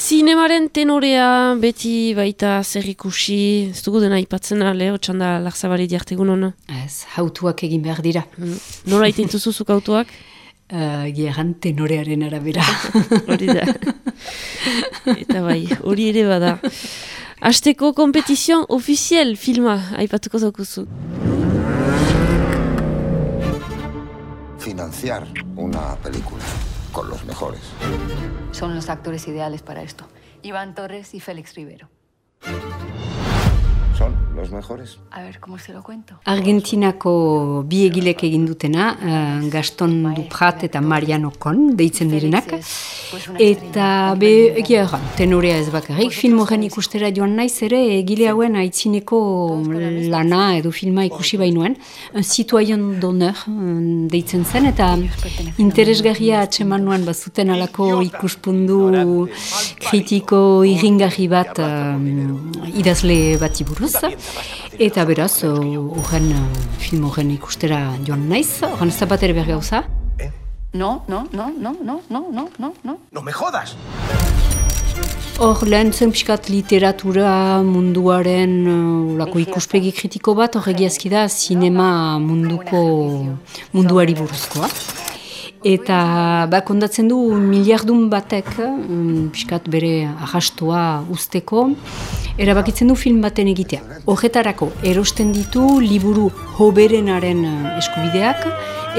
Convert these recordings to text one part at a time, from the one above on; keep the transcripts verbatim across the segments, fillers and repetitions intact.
Zinemaren tenorea beti baita zer ikusi, ez dugu dena aipatzen ale, otxanda Larzabali diartegun hona? Ez, hautuak egin behar dira. Mm. Nola iten zuzuzuk hautuak? Uh, Geran tenorearen arabera. Hori da. Eta bai, hori ere bada. Hasteko kompetizion ofiziel filma, aipatuko zaukuzu. Financiar una película con los mejores. Son los actores ideales para esto. Iván Torres y Félix Rivero. ¿Son los mejores? A ver, ¿cómo se lo cuento? Argentinako bi egilek egin dutena, uh, Gaston Duprat eta Mariano Con, deitzen direnak. Eta be, egia erran, tenorea ez bakarrik, film horren ikustera joan naiz ere, egile hauen aitzineko lana edo filma ikusi bainuen, un citoyen d'honneur deitzen zen, eta interesgarria atseman nuen bazuten alako ikuspundu kritiko irringarri bat uh, idazle bati buruz. Eta beraz, horren film horren ikustera joan naiz, horren ez da bat ere bergauza. Eh? No, no, no, no, no, no, no, no, no. ¡No me jodas! Hor lehen zen pixkat literatura munduaren olako ikuspegi kritiko bat, hor egiazki da sinema munduko munduari buruzkoa. Eta ba, kondatzen du miliardun batek, um, pixkat bere arrastoa usteko, erabakitzen du film baten egitea. Horretarako erosten ditu liburu hoberenaren eskubideak,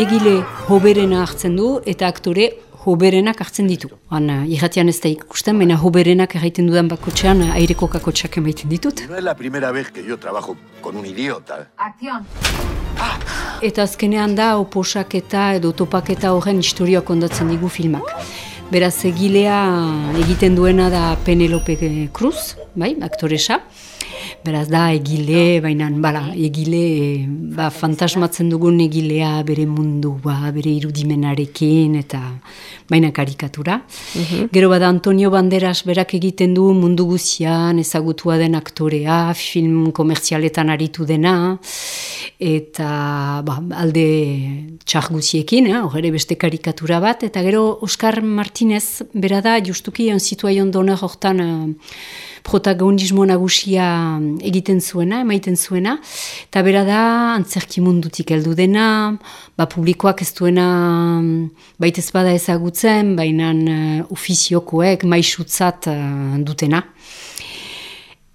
egile hoberena hartzen du eta aktore hoberenak hartzen ditu. Han, irratian ez da ikusten, baina hoberenak erraiten dudan bakotxean aireko kakotxak emaiten ditut. No es la primera vez que yo trabajo con un idiota. Acción. Ah. Eta azkenean da oposaketa edo topaketa horren historia kondatzen digu filmak. Beraz, egilea egiten duena da Penelope Cruz, bai, aktoresa. Beraz, da egile, baina, bala, egile, ba, fantasmatzen dugun egilea bere mundua, bere irudimenarekin, eta baina karikatura. Uh-huh. Gero bada Antonio Banderas berak egiten du mundu guzian, ezagutua den aktorea, film komertzialetan aritu dena, eta ba, alde txar guziekin, eh, hor ere beste karikatura bat, eta gero Oscar Martinez, bera da, justuki, un citoyen d'honneur hortan uh, protagonismo nagusia egiten zuena, emaiten zuena, eta bera da, antzerki mundutik heldu dena, ba, publikoak ez duena baitez bada ezagutzen, baina uh, ofiziokoek maisutzat uh, dutena.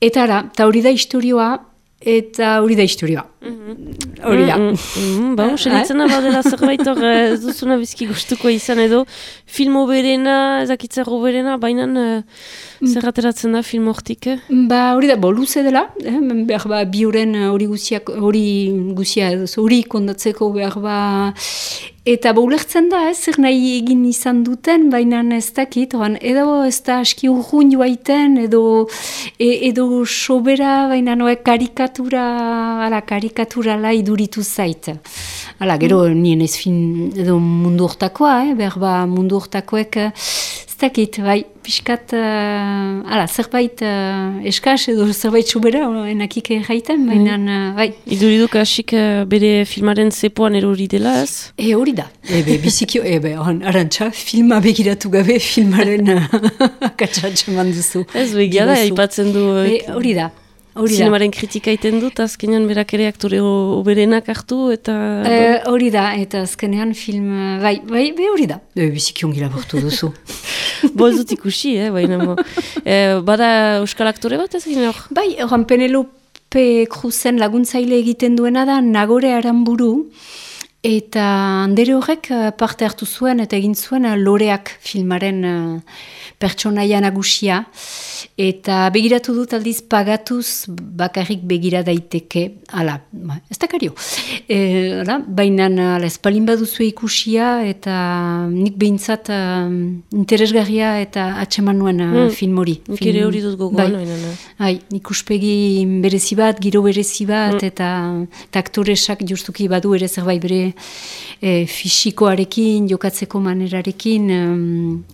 Eta ara, eta hori da historioa, eta hori da historioa. Mm-hmm. Hori da. Mm-hmm. Ba, selitzena badela zerbait hor ez duzuna bizki gustuko izan edo, film oberena, ezakitzer oberena, baina uh, zer ateratzen da film hortik? Ba, hori da, bo, luze dela, eh? Behar ba, bi horren hori guziak, hori guzia, hori kondatzeko behar ba, eta ba, ulertzen da, eh? Zer nahi egin izan duten, baina ez dakit, oran, edo ez da aski urrun joaiten, edo, e, edo sobera, baina noe karikatura, ala, karikaturala iduritu zait. Hala, gero, mm. nien ez fin, edo mundu hortakoa, eh? Behar ba, mundu hortakoek, ez dakit, bai, pixkat, uh, ala, zerbait uh, eskaz edo zerbait sobera, enakik jaiten, baina, uh, bai. Iduriduk hasik uh, bere filmaren zepoan erori dela, ez? E, hori da. Ebe, bizikio, ebe, arantxa, filma begiratu gabe filmaren akatsatxe manduzu. Ez, begia da, aipatzen du. E, hori da. Zinemaren kritika iten dut, azkenean berak ere aktore oberenak hartu, eta... Hori e, da, eta azkenean film... Bai, bai, be hori da. E, bizikion gila bortu duzu. Bo ez dut ikusi, eh, baina mo. E, bada euskal aktore bat ez gine hor? Bai, horan Penelope Cruzen laguntzaile egiten duena da Nagore Aramburu, eta andere horrek parte hartu zuen eta egin zuen Loreak filmaren uh, pertsonaia nagusia, eta begiratu dut aldiz pagatuz bakarrik begira daiteke, ala, ez dakario, e, baina espalin baduzu ikusia, eta nik behintzat uh, interesgarria eta atseman nuen uh, mm. film hori. Nik ere hori dut gogoan. Bai, bai, ikuspegi berezi bat, giro berezi bat, mm. eta, eta aktoresak justuki badu ere zerbait bere e, fisikoarekin, jokatzeko manerarekin,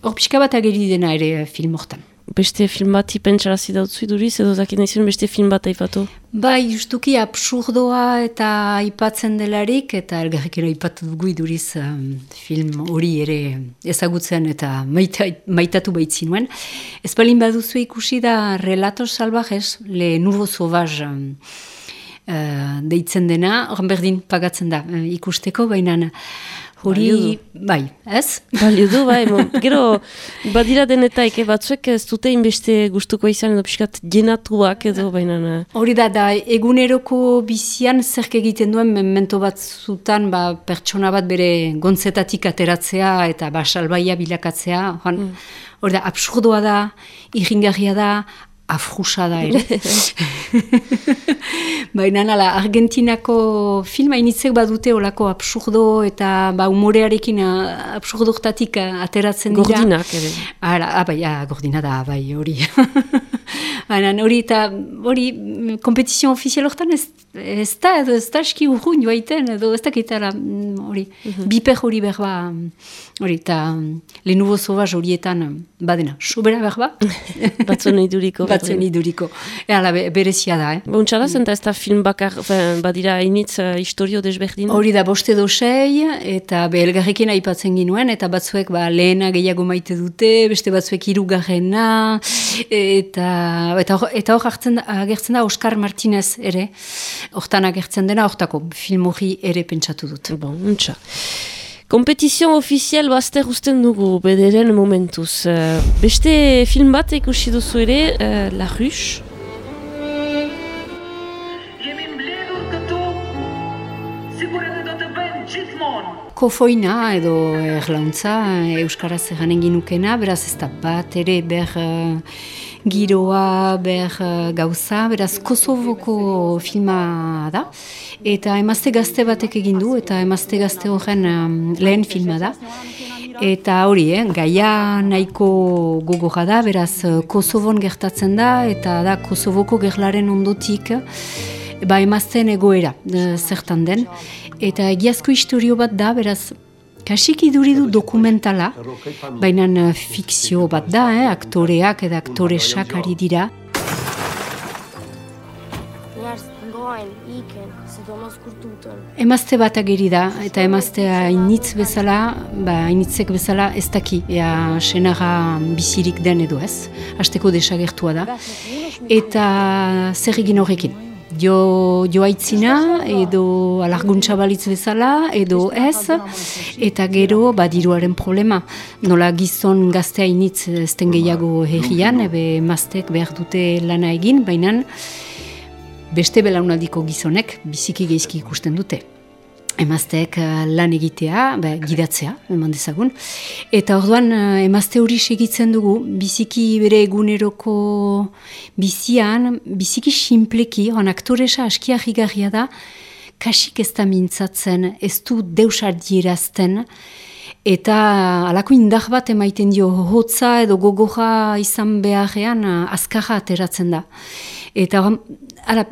hor um, pixka bat ageri dena ere film hortan. beste film bat ipentsarazi dautzu iduriz, edo zakin izan beste film bat aipatu? Bai, justuki absurdoa eta aipatzen delarik, eta elgarrekero aipatu dugu iduriz um, film hori ere ezagutzen eta maita, maitatu baitzinuen. Ez balin baduzu ikusi da Relatos Salvajes, Le Nouveau Sauvage um, uh, deitzen dena, horren berdin pagatzen da uh, ikusteko, baina hori, bai, ez? Balio du, bai, mo, gero badira denetaik, eh, batzuek ez dute inbeste gustuko izan edo pixkat jenatuak edo, baina... Hori da, da, eguneroko bizian zerk egiten duen memento bat zutan, ba, pertsona bat bere gontzetatik ateratzea eta ba, salbaia bilakatzea, hori mm. da, absurdoa da, irringarria da, afrusa da ere. Baina nala, Argentinako filma initzek badute olako absurdo eta ba, humorearekin absurdoktatik ateratzen dira. Gordinak ere. Ara, ah, bai, ah, gordina da, bai, hori. Baina hori eta hori kompetizio ofizial hortan ez, ez da, edo ez da eski urruin joaiten, edo ez da kitara hori, mm-hmm. biper hori berba, hori, eta Le Nouveau Sauvage horietan badena, sobera berba. Batzuen iduriko. Batzuen iduriko. Hala, berezia da, eh? Bontxala zen, ez da film bakar, badira initz uh, historio desberdin? Hori da, boste dosei, eta behelgarrekin aipatzen ginuen, eta batzuek ba, lehena gehiago maite dute, beste batzuek hirugarrena, eta eta hor agertzen da Oscar Martinez ere, hortan agertzen dena, hortako film hori ere pentsatu dut. Bon, untxa. Kompetizion ofizial bazter usten dugu, bederen momentuz. Uh, beste film bat ikusi duzu ere, uh, La Ruche. Kofoina edo erlauntza euskaraz eganen ginukena, beraz ez da bat ere ber uh, giroa, ber uh, gauza, beraz Kosovoko filma da, eta emazte gazte batek egin du, eta emazte gazte horren um, lehen filma da. Eta hori, eh, gaia nahiko gogorra da, beraz Kosovon gertatzen da, eta da Kosovoko gerlaren ondotik, ba emazten egoera e, zertan den. Eta egiazko historio bat da, beraz, kasik iduridu dokumentala, baina fikzio bat da, eh, aktoreak eta aktoresak ari dira. Emazte bat ageri da, eta emaztea initz bezala, ba, initzek bezala ez daki, ea senara bizirik den edo ez, hasteko desagertua da, eta zer egin horrekin. Jo, jo aitzina, edo alarguntza balitz bezala, edo ez, eta gero badiruaren problema. Nola gizon gaztea initz ezten gehiago herrian, ebe emaztek behar dute lana egin, baina beste belaunaldiko gizonek biziki geizki ikusten dute. Emazteek lan egitea, ba, gidatzea, eman dezagun. Eta orduan emazte hori segitzen dugu, biziki bere eguneroko bizian, biziki sinpleki, hon aktoresa askia higarria da, kasik ez da mintzatzen, ez du deusar dierazten, eta alako indar bat emaiten dio hotza edo gogoja izan beharrean azkarra ateratzen da. Eta ara,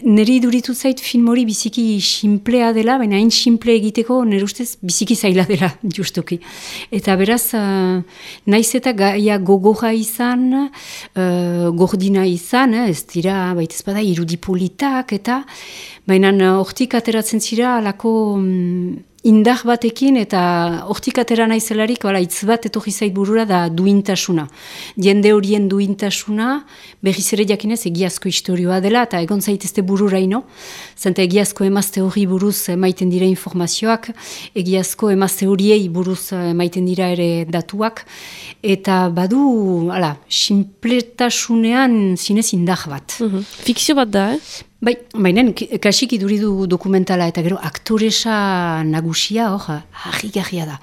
niri iduritu zait film hori biziki simplea dela, baina hain simple egiteko nire ustez biziki zaila dela, justuki. Eta beraz, uh, naiz eta gaia gogoja izan, uh, gordina izan, eh, ez dira, baita ezpada, irudipolitak, eta baina hortik ateratzen zira alako um, indar batekin, eta hortik atera naizelarik, bala, hitz bat etorri zait burura da duintasuna. Jende horien duintasuna, berriz ere jakinez egiazko historioa dela, eta egon zaitezte bururaino, zenta egiazko emazte hori buruz emaiten dira informazioak, egiazko emazte horiei buruz emaiten dira ere datuak, eta badu, ala, sinpletasunean zinez indar bat. Mm-hmm. Fikzio bat da, eh? Bai, baina kasik iduridu dokumentala eta gero aktoresa nagusia hor, harri-garria da.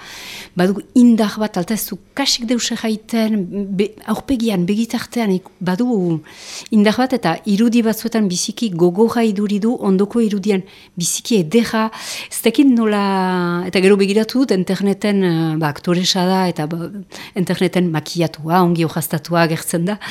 Badu indar bat, alta ez du kasik deuse jaiten, be, aurpegian, begitartean, badu indar bat eta irudi batzuetan biziki gogorra iduridu, ondoko irudian biziki edera, ez dakit nola, eta gero begiratu dut interneten, ba, aktoresa da, eta ba, interneten makiatua, ongi hojaztatua gertzen da.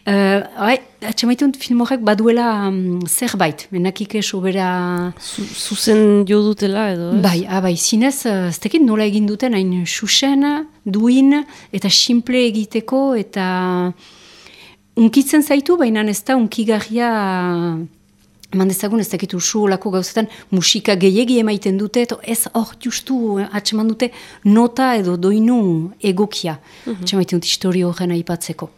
Uh, bai, atxamaitun film horrek baduela um, zerbait, menakik sobera... Zuzen jo dutela edo, ez? Bai, ah, bai, zinez, ez tekit nola egin duten, hain xuxen, duin, eta simple egiteko, eta unkitzen zaitu, baina ez da unkigarria, eman dezagun ez dakitu usu olako gauzetan, musika gehiegi emaiten dute, eto ez hor justu atseman dute nota edo doinu egokia. Mm-hmm. Atxemaiten dut historio horren aipatzeko.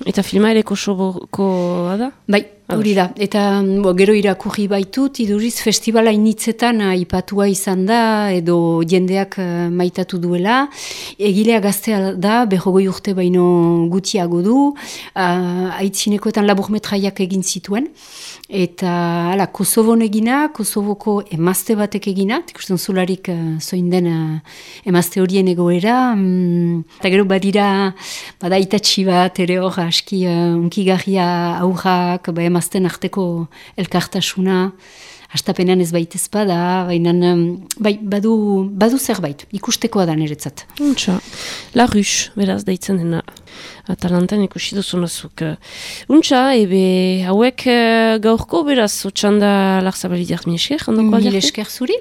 Eta filma ere Kosovokoa da? Bai, hori da. Eta bo, gero irakurri baitut, iduriz festivala initzetan aipatua izan da, edo jendeak uh, maitatu duela. Egilea gaztea da, berrogoi urte baino gutiago du, uh, aitzinekoetan laburmetraiak egin zituen. Eta ala, Kosovon egina, Kosovoko emazte batek egina, ikusten zularik uh, zoin den uh, emazte horien egoera. Um, eta gero badira, bada itatxi bat, ere hor, aski uh, unkigarria aurrak, ba, emazten arteko elkartasuna, hastapenean ez baitez bada, baina um, bai, badu, badu zerbait, ikustekoa da niretzat. Untxa, La Ruche, beraz deitzen dena. Atalantan ikusi duzunazuk. Untxa, ebe hauek gaurko beraz, otxanda Larzabali diart mi esker, ondoko aldiarte? Mi esker zuri.